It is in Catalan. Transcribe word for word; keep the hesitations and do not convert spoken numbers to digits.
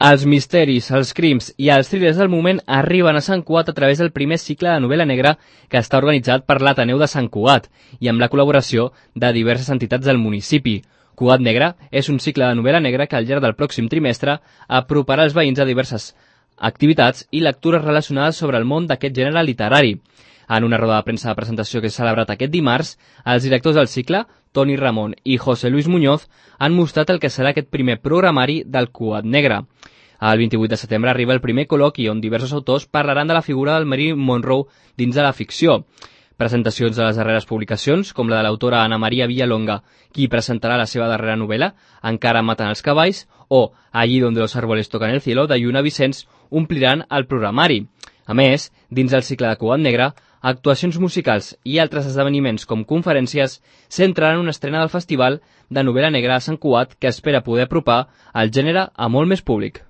Els misteris, els crims i els thrillers del moment arriben a Sant Cugat a través del primer cicle de novel·la negra que està organitzat per l'Ateneu de Sant Cugat i amb la col·laboració de diverses entitats del municipi. Cugat Negra és un cicle de novel·la negra que al llarg del pròxim trimestre aproparà els veïns a diverses activitats i lectures relacionades sobre el món d'aquest gènere literari. En una roda de premsa de presentació que s'ha celebrat aquest dimarts, els directors del cicle, Toni Ramon i José Luis Muñoz, han mostrat el que serà aquest primer programari del Cugat Negre. El vint-i-vuit de setembre arriba el primer col·loqui on diversos autors parlaran de la figura del Marilyn Monroe dins de la ficció. Presentacions de les darreres publicacions, com la de l'autora Ana Maria Villalonga, qui presentarà la seva darrera novel·la, Encara maten els cavalls, o Allí donde los árboles tocan el cielo, de Lluna Vicenç, ompliran el programari. A més, dins del cicle de Cugat Negre, actuacions musicals i altres esdeveniments com conferències centraran una estrena del Festival de Novel·la Negra a Sant Cugat que espera poder apropar el gènere a molt més públic.